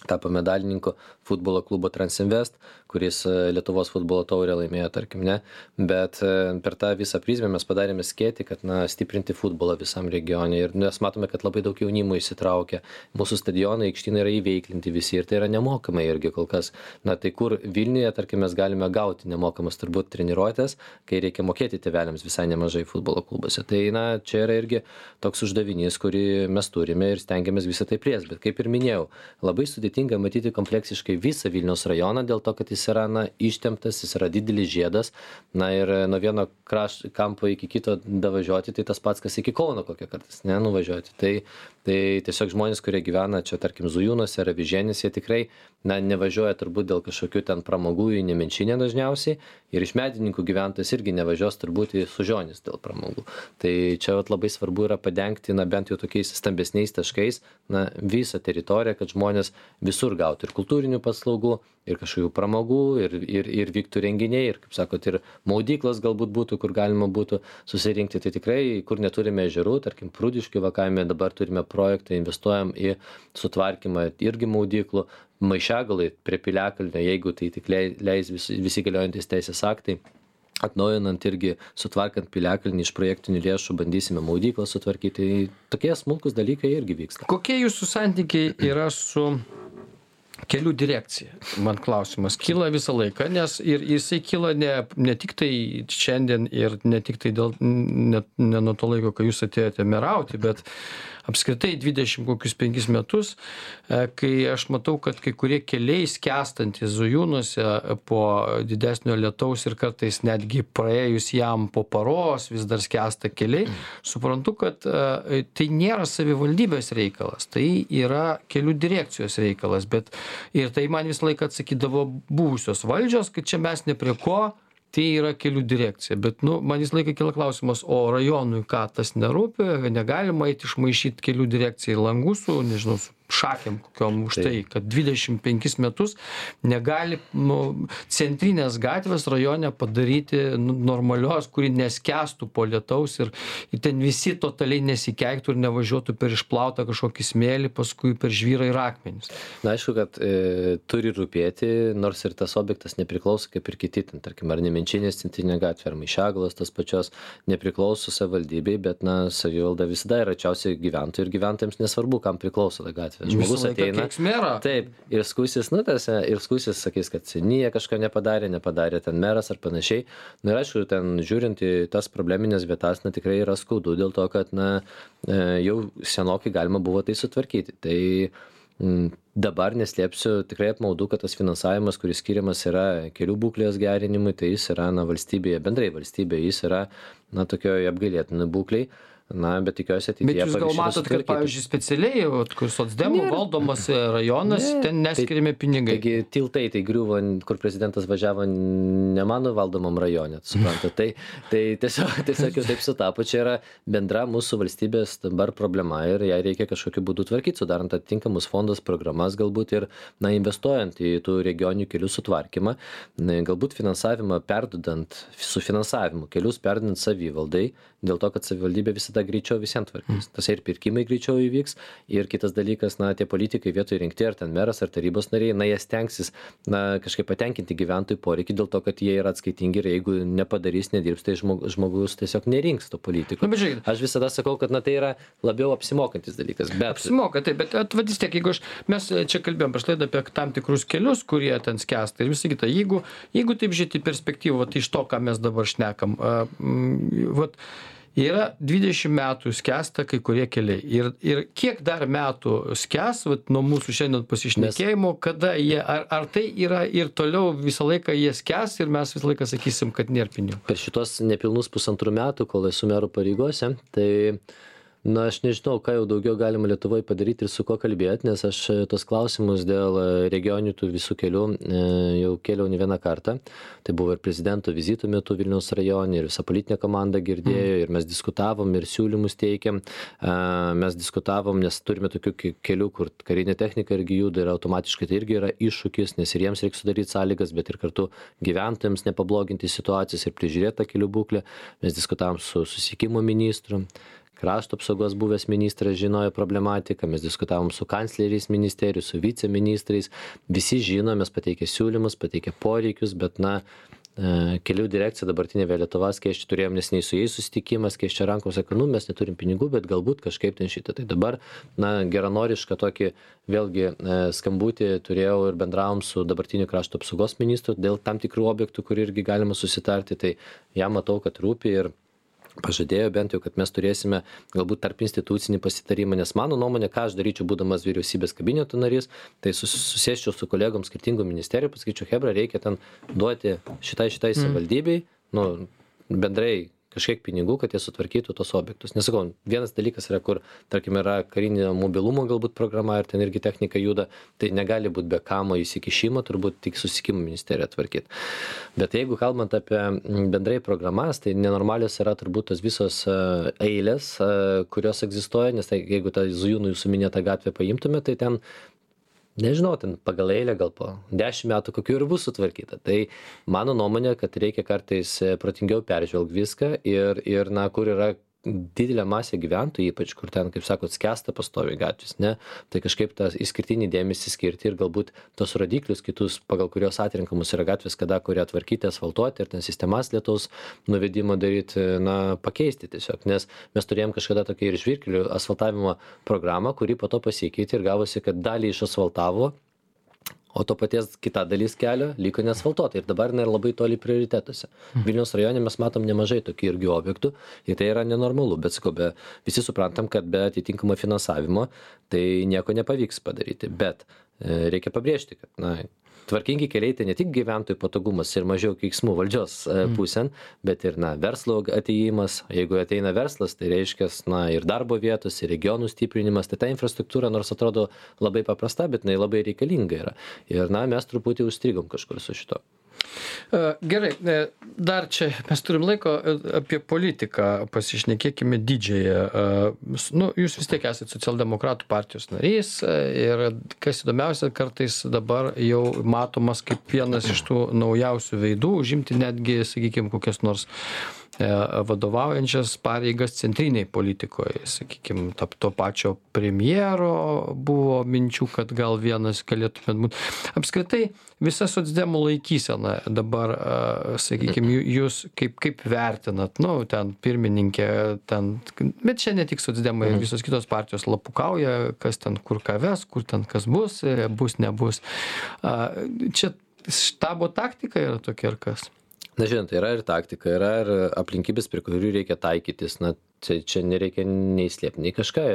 tapo medalininkų futbolo klubo Transinvest, kuris Lietuvos futbolo taurę laimėjo, tarkim, ne, bet per tą visą prizmę mes padarėme skėtį, kad, na, stiprinti futbolą visam regione ir mes matome, kad labai daug jaunimo įsitraukia, mūsų stadionai, aikštynai yra įveiklinti visi ir tai yra nemokamai irgi kol kas. Na, tai kur Vilniuje, tarkim, mes galime gauti nemokamas turbūt treniruotės, kai reikia mokėti tėveliams visai nemažai futbolo klubuose. Tai, na, čia yra irgi toks uždavinys, kurį mes turime ir stengiamės visą tai plėsti, bet kaip ir minėjau, labai sudėtinga matyti kompleksiškai visą Vilniaus rajoną dėl to, kad jis yra, na, ištemptas, jis yra didelis žiedas, na ir nuo vieno kraš, kampo iki kito davažiuoti, tai tas pats, kas iki Kauno kokią kartais, ne, nuvažiuoti. Tai, tai tiesiog žmonės, kurie gyvena čia, tarkim, Zujūnuose ar Avižėnėse, jie tikrai, na, nevažiuoja turbūt dėl kažkokių ten pramogų į Nemenčinę dažniausiai ir iš Medininkų gyventojas irgi nevažiuos turbūt į Sužionis dėl pramogų. Tai čia vat, labai svarbu yra padengti, na, bent jau tokiais stambesniais taškais, na, visą teritoriją, kad žmonės visur gautų ir kultūrinių paslaugų, ir kažkokių pramogų, ir, ir, ir vyktų renginiai, ir, kaip sakot, ir maudyklos galbūt būtų, kur galima būtų susirinkti. Tai tikrai, kur neturime ežerų, tarkim, Prūdiškių vakavime dabar turime projektą, investuojam į sutvarkymą irgi maudyklų, Maišiagalai prie Piliakalnio, jeigu tai tik leis visi, visi galiojantis teisės aktai. Atnaujinant irgi, sutvarkant Piliakalnį iš projektinių lėšų, bandysime maudyklą sutvarkyti. Tokie smulkus dalykai irgi vyksta. Kokie jūsų santykiai yra su kelių direkcija? Man klausimas kyla visą laiką, nes ir jisai kyla ne, ne tik tai šiandien ir ne tik tai dėl, ne, ne nuo to laiko, kai jūs atėjote merauti, bet apskritai dvidešimt kokius penkis metus, kai aš matau, kad kai kurie keliai skęstantys Zujūnuose po didesnio lietaus ir kartais netgi praėjus jam po paros vis dar skęsta keliai, suprantu, kad tai nėra savivaldybės reikalas, tai yra kelių direkcijos reikalas, bet ir tai man visą laiką atsakydavo buvusios valdžios, kad čia mes ne prie ko, tai yra kelių direkcija. Bet, nu, man visą laiką kila klausimas, o rajonui ką tas nerūpi, negalima eiti išmaišyti kelių direkcijai langų su, nežinau, su šakėm kokiom už tai, kad dvidešimt penkis metus negali nu, centrinės gatvės rajone padaryti nu, normalios, kuri neskęstų po lietaus ir, ir ten visi totaliai nesikeiktų ir nevažiuotų per išplautą kažkokį smėlį, paskui per žvyrą ir akmenis. Na, aišku, kad e, turi rūpėti, nors ir tas objektas nepriklauso kaip ir kiti, ten, tarkim, ar Nemenčinės centrinė gatvė, ar Maišiagalos, tas pačios nepriklauso savivaldybei, bet, na, savivalda visada yra arčiausiai gyventojų ir gyventojams nesvarbu, kam priklauso ta gatvė. Žmogus ateina, taip, ir skųsis, nu, tas, ir skųsis, sakys, kad seniai kažką nepadarė, nepadarė ten meras ar panašiai. Na ir aišku, ten žiūrint į tas probleminės vietas, na, tikrai yra skaudu dėl to, kad, na, jau senokai galima buvo tai sutvarkyti. Tai m, dabar neslėpsiu, tikrai apmaudu, kad tas finansavimas, kuris skiriamas yra kelių būklės gerinimui, tai jis yra, na, valstybėje, bendrai valstybėje, jis yra, na, tokioje apgailėtinai būkliai. Na, bet tikiuosi ateityje. Bet jūs gal matot, kad, pavyzdžiui, specialiai, kur socdemų valdomas rajonas, ne, ten neskiriami pinigai. Taigi tiltai tai griuvo, kur prezidentas važiavo ne mano valdomam rajone, suprantate. Tai, tai tiesiog, tiesiog jau taip sutapo, čia yra bendra mūsų valstybės dabar problema ir ją reikia kažkokiu būdu tvarkyti, sudarant atitinkamus fondus, programas galbūt ir, na, investuojant į tų regioninių kelių sutvarkymą, galbūt finansavimą perdodant, su finansavimu, kelius perdodant savivaldai, dėl to, kad savivaldybė visada greičiau visiems tvarkys. Tas ir pirkimai greičiau įvyks. Ir kitas dalykas, na, tie politikai vietoj rinkti, ar ten meras, ar tarybos nariai, na, jie stengsis, na, kažkaip patenkinti gyventojų poreikį dėl to, kad jie yra atskaitingi ir jeigu nepadarys, nedirbs, tai žmogus, žmogus tiesiog nerinks to politiko. Nu, žiūrėk, aš visada sakau, kad, na, tai yra labiau apsimokantis dalykas. Bet... Apsimoka, taip, bet atvadys tiek, jeigu aš, mes čia kalbėjom prieš laidą apie tam tikrus kelius, kurie ten skęsta ir visą kitą. Jeigu, jeigu taip žiūrėti perspektyvą, tai iš to, ką mes dabar šnekam, uh, mm, vat, yra dvidešimt metų skęsta kai kurie keliai. Ir, ir kiek dar metų skęs, vat, nuo mūsų šiandien pasišnekėjimo, kada jie, ar, ar tai yra ir toliau visą laiką jie skęs ir mes visą laiką sakysim, kad nėra pinigų. Per šitos nepilnus pusantrų metų, kol esu mero pareigose, tai na, aš nežinau, ką jau daugiau galima Lietuvoje padaryti ir su kuo kalbėti, nes aš tos klausimus dėl regioninių tų visų kelių jau kėliau ne vieną kartą. Tai buvo ir prezidento vizito metu Vilniaus rajone, ir visa politinė komanda girdėjo, mm. ir mes diskutavom, ir siūlymus teikėm. Mes diskutavom, nes turime tokių kelių, kur karinė technika irgi juda ir automatiškai tai irgi yra iššūkis, nes ir jiems reikia sudaryti sąlygas, bet ir kartu gyventojams nepabloginti situacijos ir prižiūrėti tą kelių būklę. Mes diskutavom su susisiekimo ministru. Krašto apsaugos buvęs ministras žinojo problematiką, mes diskutavom su kancleriais ministerijų, su viceministrais, visi žino, mes pateikė siūlymus, pateikė poreikius, bet, na, kelių direkcija dabartinė Lietuvos, kai aš turėjom nesiniai su jais susitikimas, kai aš čia rankom sakau, nu, mes neturim pinigų, bet galbūt kažkaip ten šitą. Tai dabar, na, geranorišką tokį, vėlgi, skambutį turėjau ir bendravom su dabartiniu krašto apsaugos ministru dėl tam tikrų objektų, kur irgi galima susitarti, tai jam matau, kad rūpi ir pažadėjo bent jau, kad mes turėsime galbūt tarp institucinį pasitarimą, nes mano nuomonė, ką aš daryčiau būdamas vyriausybės kabineto narys, tai susėsčiau su kolegom skirtingų ministerijų, pasakyčiau, hebra, reikia ten duoti šitai šitai mm. savivaldybei, nu, bendrai kažkiek pinigų, kad jie sutvarkytų tos objektus. Nesakau, vienas dalykas yra, kur, tarkim, yra karinio mobilumo galbūt programa ir ten irgi technika juda, tai negali būti be kamo įsikišimo, turbūt tik susisiekimo ministerija tvarkyti. Bet jeigu kalbant apie bendrai programas, tai nenormalios yra turbūt tos visos eilės, kurios egzistuoja, nes tai, jeigu tą Zujūnų jūsų minėtą gatvę paimtume, tai ten nežinau, ten pagal eilę gal po dešimt metų kokių ir bus sutvarkyta. Tai mano nuomonė, kad reikia kartais protingiau peržvelgti viską ir, ir na, kur yra didelė masė gyventojų, ypač kur ten, kaip sakot, skęsta pastoviai gatvės, ne? Tai kažkaip tą išskirtinį dėmesį skirti ir galbūt tos rodiklius kitus, pagal kurios atrinkamus yra gatvės, kada kurie atvarkyti, asfaltuoti ir ten sistemas lietaus nuvedimo daryti, na, pakeisti tiesiog. Nes mes turėjom kažkada tokia ir žvyrkelių asfaltavimo programą, kuri po to pasikeitė ir gavosi, kad dalį išasfaltavo, o to paties kita dalis kelio liko neasfaltuota ir dabar yra labai toli prioritetuose. Vilniaus rajone mes matom nemažai tokių irgi objektų ir tai yra nenormalu, bet sakau, be, visi suprantam, kad be atitinkamo finansavimo tai nieko nepavyks padaryti, bet e, reikia pabrėžti, kad, na, tvarkingi keliai tai ne tik gyventojų patogumas ir mažiau keiksmų valdžios pusėn, bet ir, na, verslo atėjimas. Jeigu ateina verslas, tai reiškia, na, ir darbo vietos, ir regionų stiprinimas. Tai ta infrastruktūra, nors atrodo labai paprasta, bet jinai labai reikalinga yra. Ir, na, mes truputį užstrigom kažkur su šito. Gerai, dar čia mes turim laiko apie politiką, pasišnekėkime didžiąją. Nu, jūs vis tiek esate socialdemokratų partijos narys ir kas įdomiausia, kartais dabar jau matomas kaip vienas iš tų naujausių veidų, užimti netgi, sakykime, kokias nors vadovaujančias pareigas centriniai politikoje, sakykime, to pačio premjero buvo minčių, kad gal vienas galėtumėt būti. Apskritai, visa socdemų laikysena dabar, sakykime, jūs kaip, kaip vertinat, nu, ten pirmininkė, ten, bet čia ne tik socdemai, mhm. visos kitos partijos lapukauja, kas ten kur ką ves, kur ten kas bus, bus, nebus. Čia štabo taktika yra tokia ar kas? Na, žinot, yra ir taktika, yra ir aplinkybės, prie kurių reikia taikytis. Na, čia, čia nereikia nei slėpti, nei kažką.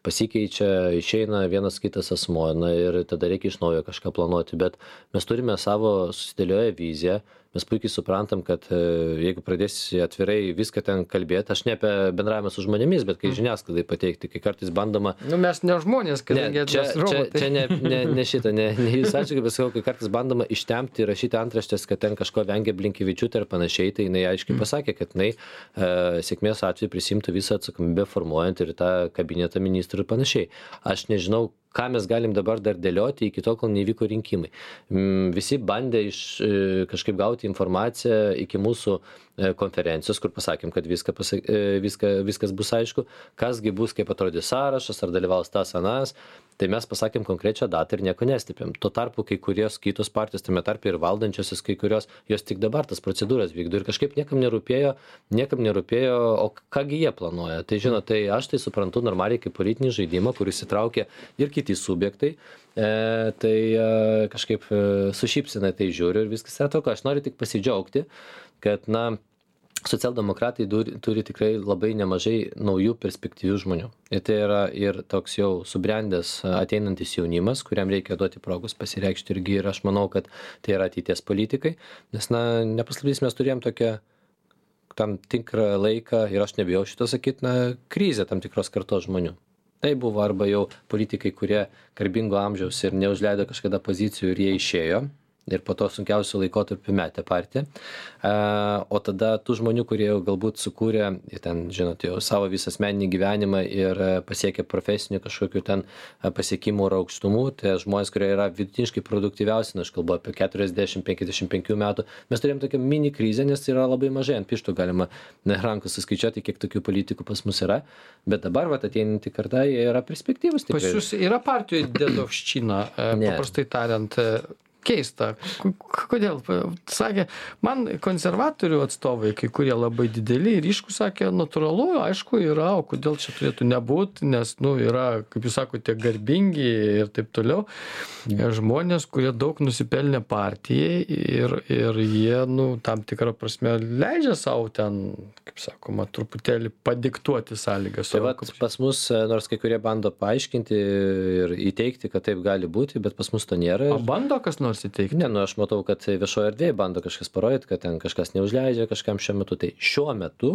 Pasikeičia, išeina vienas kitas asmuo, na, ir tada reikia iš naujo kažką planuoti. Bet mes turime savo susidėlioję viziją. Mes puikiai suprantam, kad jeigu pradėsi atvirai viską ten kalbėti, aš ne apie bendravimą su žmonėmis, bet kai žiniasklaidai pateikti, kai kartais bandoma... Nu, mes ne žmonės, kadangi čia, mes robotai. Čia, čia ne, ne, ne šitą, ne, ne jūs atšakai, bet sakau, kai kartais bandoma ištempti ir rašyti antraštės, kad ten kažko vengia Blinkevičiūtė ir panašiai, tai jinai aiškiai pasakė, kad jinai e, sėkmės atveju prisimtų visą atsakomybę formuojant ir tą kabinetą ministrų ir panašiai. Aš nežinau, ką mes galim dabar dar dėlioti iki to, kol nevyko rinkimai. Visi bandė iš, kažkaip gauti informaciją iki mūsų konferencijos, kur pasakėm, kad viską, pasak, viską, viskas bus aišku, kasgi bus, kaip atrodys sąrašas, ar dalyvaus tas anas. Tai mes pasakėm konkrečią datą ir nieko nestipėm. Tuo tarpu kai kurios kitos partijos, tame tarpe ir valdančiosios, kai kurios, jos tik dabar tas procedūras vykdo ir kažkaip niekam nerūpėjo, niekam nerūpėjo, o kągi jie planuoja. Tai žinot, tai aš tai suprantu normaliai kaip politinį žaidimą, kuris įtraukia ir kiti subjektai, e, tai e, kažkaip e, sušypsina tai žiūriu ir viskas yra toko. Aš noriu tik pasidžiaugti, kad, na, socialdemokratai turi, turi tikrai labai nemažai naujų perspektyvių žmonių. Ir tai yra ir toks jau subrendęs ateinantis jaunimas, kuriam reikia duoti progos pasireikšti irgi ir aš manau, kad tai yra ateities politikai. Nes, na, nepaslapdys, mes turėjom tokią tam tikrą laiką, ir aš nebijau šito sakyti, na, krizę tam tikros kartos žmonių. Tai buvo arba jau politikai, kurie garbingo amžiaus ir neužleido kažkada pozicijų ir jie išėjo. Ir po to sunkiausių laikotarpių metė partiją. O tada tų žmonių, kurie jau galbūt sukūrė, ten, žinot, jau savo visą asmeninį gyvenimą ir pasiekė profesinių kažkokių ten pasiekimų ir aukštumų, tai žmonės, kurie yra vidutiniškai produktyviausi, aš kalbu apie keturiasdešimt penkiasdešimt penkių metų, mes turėjom tokią mini krizę, nes yra labai mažai, ant pirštų galima rankų suskaičiuoti, kiek tokių politikų pas mus yra, bet dabar, vat, ateinantį kartą, jie yra perspektyvūs. Pas jūs yra partijoje dėdovščina, paprastai tariant, keista. Kodėl? Sakė, man konservatorių atstovai, kai kurie labai dideli ir ryškūs, sakė, natūralu, aišku, yra, o kodėl čia turėtų nebūti, nes, nu, yra, kaip jūs sakote, garbingi ir taip toliau. Žmonės, kurie daug nusipelnė partijai ir, ir jie, nu, tam tikrą prasme leidžia savo ten, kaip sakoma, truputėlį padiktuoti sąlygas. Tai va, pas mus, nors kai kurie bando paaiškinti ir įteikti, kad taip gali būti, bet pas mus to nėra. O bando kas nors įteikti? Ne, nu aš matau, kad viešoje erdvėje bando kažkas parodyti, kad ten kažkas neužleidžia kažkam šiuo metu. Tai šiuo metu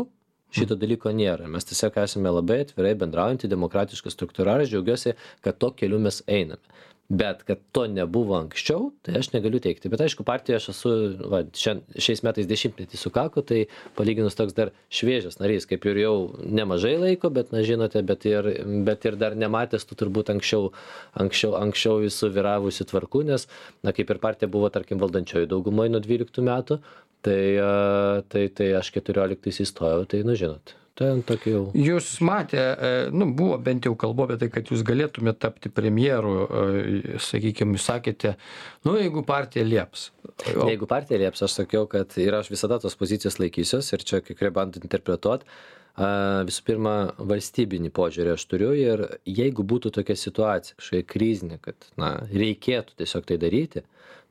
šito dalyko nėra. Mes tiesiog esame labai atvirai bendraujantį demokratišką struktūrą. Aš džiaugiuosi, kad to keliu mes einame. Bet kad to nebuvo anksčiau, tai aš negaliu teikti. Bet aišku, partijoje aš esu, va, šian, šiais metais dešimtmetį sukako, tai palyginus toks dar šviežias narys, kaip ir jau nemažai laiko, bet, na, žinote, bet ir, bet ir dar nematęs tu turbūt anksčiau, anksčiau, anksčiau visų vyravusių tvarkų, nes, na, kaip ir partija buvo, tarkim, valdančioji daugumoje nuo dvyliktų metų, tai, tai, tai aš keturioliktais įstojau, tai, nu, žinot. Jau... Jūs matė, nu, buvo bent jau kalba apie tai, kad jūs galėtumėte tapti premjeru, sakykime, jūs sakėte, nu, jeigu partija lieps. O... Jeigu partija lieps, aš sakiau, kad ir aš visada tos pozicijos laikysiuos ir čia kai kurie bando interpretuoti. Visų pirma, valstybinį požiūrį aš turiu ir jeigu būtų tokia situacija, kažkokia krizinė, kad, na, reikėtų tiesiog tai daryti,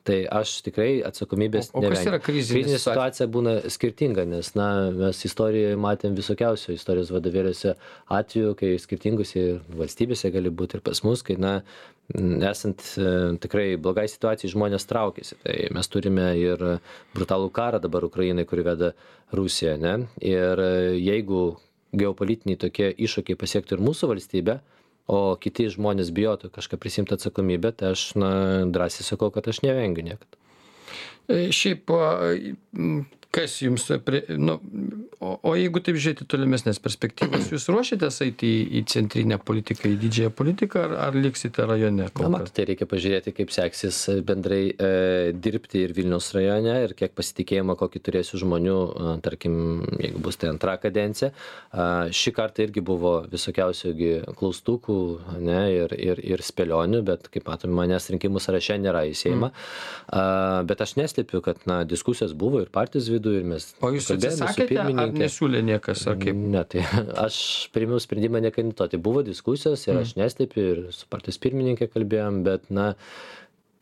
tai aš tikrai atsakomybės nevengiu. O kas yra krizinė situacija? Krizinė situacija būna skirtinga, nes, na, mes istorijoje matėm visokiausių istorijos vadovėliuose atveju, kai skirtingose valstybėse gali būti ir pas mus, kai, na, esant e, tikrai blogai situacijai žmonės traukiasi. Tai mes turime ir brutalų karą dabar Ukrainai, kurį veda Rusija, ne? Ir jeigu geopolitiniai tokie iššūkiai pasiektų ir mūsų valstybę, o kiti žmonės bijotų kažką prisimti atsakomybę, tai aš, na, drąsiai sakau, kad aš nevengiu niekada. Šiaip, kas jums, nu, o, o jeigu taip žiūrėti tolimesnės perspektyvas, jūs ruošiatės eiti į, į centrinę politiką, į didžiąją politiką, ar, ar liksite rajone? Na, matote, reikia pažiūrėti, kaip seksis bendrai e, dirbti ir Vilniaus rajone ir kiek pasitikėjimo, kokį turėsiu žmonių, a, tarkim, jeigu bus tai antra kadencija. A, šį kartą irgi buvo visokiausių klaustukų, ne, ir, ir, ir spėlionių, bet, kaip matome, manęs rinkimų sąraše nėra į Seimą. Mm. A, bet aš neslėpiu, kad na, diskusijos buvo ir partijos vidų, ir mes... O jūs atsisakėte, ar nesiūlė niekas, ar kaip? Ne, tai aš priėmiau sprendimą nekandidatuoti. Buvo diskusijos ir aš neslėpiu, ir su partijos pirmininkė kalbėjom, bet, na,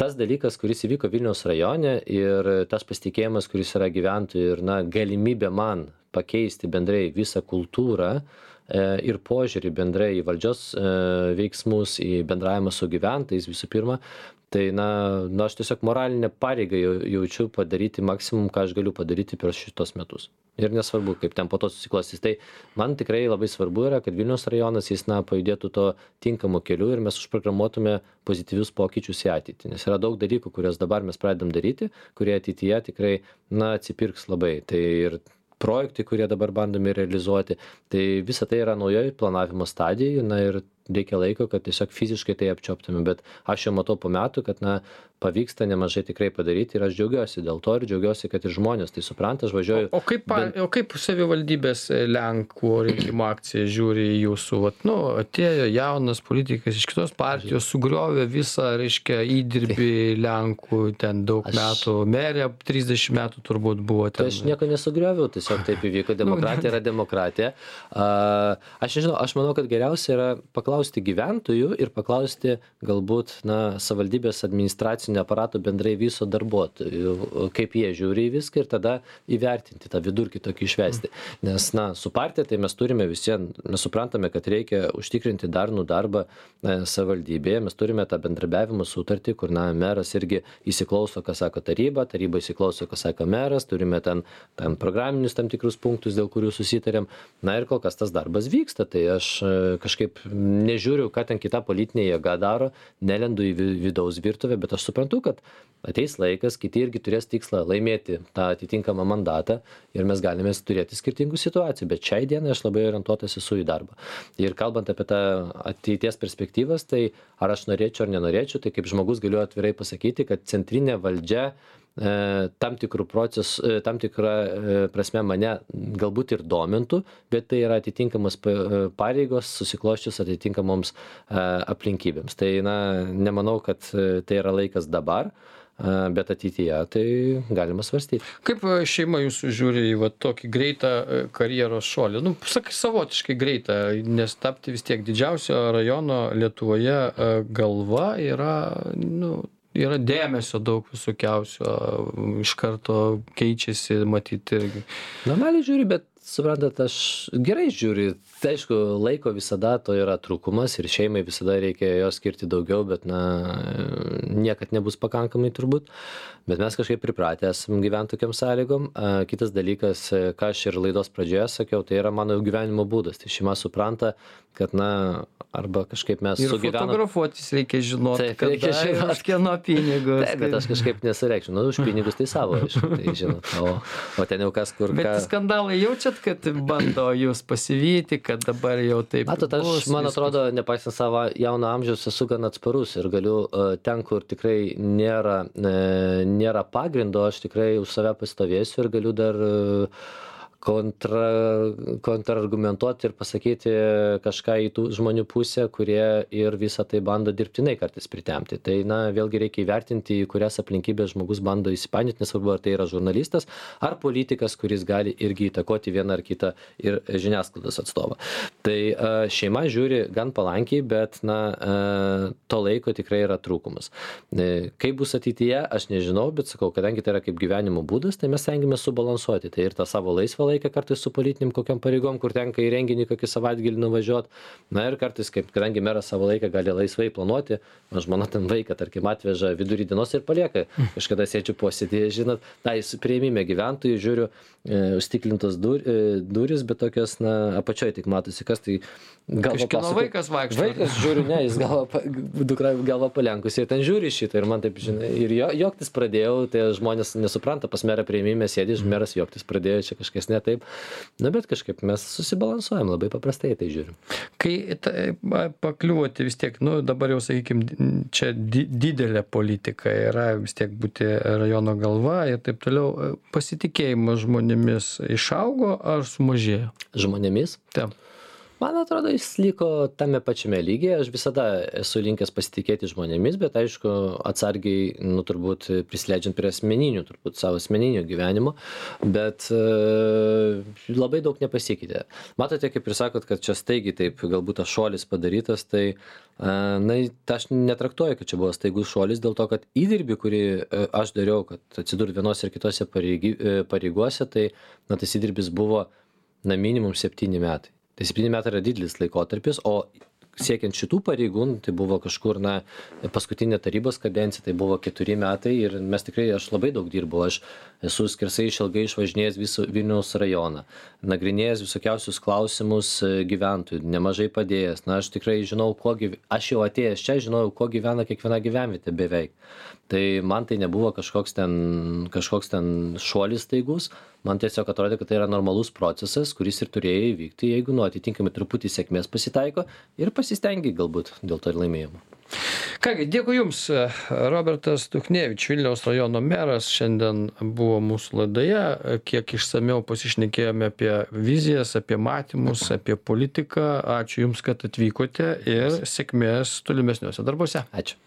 tas dalykas, kuris įvyko Vilniaus rajone ir tas pasitikėjimas, kuris yra gyventojų ir, na, galimybė man pakeisti bendrai visą kultūrą ir požiūrį bendrai į valdžios veiksmus, į bendravimą su gyventojais visų pirma, tai na, na aš tiesiog moralinę pareigą jaučiu padaryti maksimum, ką aš galiu padaryti per šitos metus. Ir nesvarbu, kaip ten po to susiklostys. Tai man tikrai labai svarbu yra, kad Vilniaus rajonas jis na, pajudėtų to tinkamu keliu ir mes užprogramuotume pozityvius pokyčius į ateitį. Nes yra daug dalykų, kuriuos dabar mes pradedam daryti, kurie ateityje tikrai na, atsipirks labai. Tai ir projektai, kurie dabar bandomi realizuoti, tai visa tai yra naujoje planavimo stadijoje, na ir reikia laiko, kad tiesiog fiziškai tai apčioptume, bet aš jau matau po metų, kad na, pavyksta nemažai tikrai padaryti ir aš džiaugiuosi dėl to ir džiaugiuosi, kad ir žmonės tai supranta, aš važiuoju. O, o, kaip, ben... o kaip savivaldybės Lenkų rinkimų akcija žiūri į jūsų, vat, nu, atėjo jaunas politikas iš kitos partijos, sugriovė visą, reiškia, įdirbį Lenkų, ten daug aš... metų, merė trisdešimt metų turbūt buvo ten. Tai aš nieko nesugrioviau, tiesiog taip įvyko, demokratija yra demokratija. Uh, aš nežinau, aš manau, kad geriausia yra paklausti gyventojų ir paklausti galbūt, na, savivaldybės administracijų aparato bendrai viso darbuotojų, kaip jie žiūri į viską ir tada įvertinti tą vidurkį tokį išvesti. Nes, na, su partija tai mes turime visien, mes suprantame, kad reikia užtikrinti darnų darbą na, savivaldybėje, mes turime tą bendrabiavimo sutartį, kur, na, meras irgi įsiklauso, ką sako taryba, taryba įsiklauso, ką sako meras, turime ten, ten programinius tam tikrus punktus, dėl kurių susitarėm. Na ir kol kas tas darbas vyksta, tai aš kažkaip nežiūriu, ką ten kita politinė jėga daro, nelendu į vidaus virtuvę, bet aš suprantu, kad ateis laikas, kiti irgi turės tikslą laimėti tą atitinkamą mandatą ir mes galime turėti skirtingų situacijų, bet šiai dienai aš labai orientuotas esu į darbą. Ir kalbant apie tą ateities perspektyvas, tai ar aš norėčiau ar nenorėčiau, tai kaip žmogus galiu atvirai pasakyti, kad centrinė valdžia tam tikrų procesų, tam tikrą prasme mane galbūt ir domintų, bet tai yra atitinkamos pareigos susikloščius atitinkamoms aplinkybėms. Tai na, nemanau, kad tai yra laikas dabar, bet ateityje tai galima svarstyti. Kaip šeima jūsų žiūri į va, tokį greitą karjeros šuolį? Nu, sakai, savotiškai greitą, nes tapti vis tiek didžiausio rajono Lietuvoje galva yra, nu, yra dėmesio daug visokiausio, iš karto keičiasi, matyti irgi. Normaliai žiūri, bet suprantat, aš gerai žiūriu. Tai aišku, laiko visada to yra trūkumas ir šeimai visada reikia jo skirti daugiau, bet na, niekad nebus pakankamai turbūt. Bet mes kažkaip pripratę esam gyventi tokiam sąlygom. Kitas dalykas, ką aš ir laidos pradžioje sakiau, tai yra mano gyvenimo būdas. Tai šeima supranta, kad na, arba kažkaip mes ir sugyvenam. Ir fotografuotis reikia žinoti, taip, kada reikia žinot. Už kieno pinigus. Taip, bet aš kažkaip nesureikščiau. Nu, už pinigus tai savo, aišku, tai žinot. O, o ten jau kas kur. Bet ką... skandalai jaučiat, kad bando jūs pasivyti, kad dabar jau taip Matot, aš, bus, man viskas. atrodo, nepaisant savo jauno amžiaus, esu gan atsparus ir galiu ten, kur tikrai nėra, nėra pagrindo, aš tikrai už save pastovėsiu ir galiu dar kontra, kontrargumentuoti ir pasakyti kažką į tų žmonių pusę, kurie ir visą tai bando dirbtinai kartais pritemti. Tai, na, vėlgi reikia įvertinti, į kurias aplinkybės žmogus bando įsipainioti, nesvarbu, ar tai yra žurnalistas, ar politikas, kuris gali irgi įtakoti vieną ar kitą ir žiniasklaidos atstovą. Tai šeima žiūri gan palankiai, bet, na, to laiko tikrai yra trūkumas. Kaip bus ateityje, aš nežinau, bet sakau, kadangi tai yra kaip gyvenimo būdas, tai mes stengiamės subalansuoti. Tai ir tą savo laisvą laisvą laiką kartais su politinėm kokiom pareigom, kur tenka į renginį kokį savaitgalį nuvažiuoti. Na ir kartais, kaip, kadangi meras savo laiką gali laisvai planuoti, man žmona ten vaiką, tarkim, atveža vidurį dienos ir palieka. Kažkada sėdžiu posėdėje, žinot, tai prieimime gyventojų, žiūriu, e, užstiklintos dur, e, duris, bet tokios, na, apačioje tik matosi, kas tai galva Kažkieno pasako. vaikas vaikšto. Vaikas, žiūriu, ne, jis galva, dukra galva palenkusi ir ten žiūri šitą ir man taip, žinai, ir jo, joktis pradėjau, tai žmonės nesupranta, pas merą prieimime sėdi, meras joktis pradėjo, čia kažkas ne taip. Na, bet kažkaip mes susibalansuojam, labai paprastai tai žiūrim. Kai tai, pakliuoti vis tiek, nu, dabar jau, sakykime, čia di didelė politika yra vis tiek būti rajono galva ir taip toliau, pasitikėjimas žmonėmis išaugo ar sumažėjo? Žmonėmis? Taip. Man atrodo, jis liko tame pačiame lygyje. Aš visada esu linkęs pasitikėti žmonėmis, bet aišku, atsargiai, nu, turbūt prisileidžiant prie asmeninių, turbūt savo asmeninio gyvenimo, bet e, labai daug nepasikeitė. Matote, kaip ir sakot, kad čia staigiai taip galbūt tas šuolis padarytas, tai e, na, ta aš netraktuoju, kad čia buvo staigus šuolis, dėl to, kad įdirbį, kurį e, aš dariau, kad atsidurti vienose ir kitose pareigy, e, pareigose, tai na, tas įdirbis buvo na, minimum septyni metai. Tai septyni metai yra didelis laikotarpis, o siekiant šitų pareigų, tai buvo kažkur, na, paskutinė tarybos kadencija, tai buvo keturi metai ir mes tikrai, aš labai daug dirbau, aš esu skersai išilgai išvažinėjęs visą Vilniaus rajoną, nagrinėjęs visokiausius klausimus gyventojų, nemažai padėjęs, na, aš tikrai žinau, kuo gyv... aš jau atėjęs čia, žinojau, kuo gyvena kiekviena gyvenvietė beveik. Tai man tai nebuvo kažkoks ten, kažkoks ten šuolis staigus, man tiesiog atrodė, kad tai yra normalus procesas, kuris ir turėjo įvykti, jeigu nu atitinkamai truputį sėkmės pasitaiko ir pasistengi galbūt dėl to ir laimėjimo. Kągi, dėkui Jums. Robertas Duchnevič, Vilniaus rajono meras, šiandien buvo mūsų laidoje. Kiek išsamiau pasišnekėjome apie vizijas, apie matymus, apie politiką. Ačiū Jums, kad atvykote ir sėkmės tolimesniuose darbuose. Ačiū.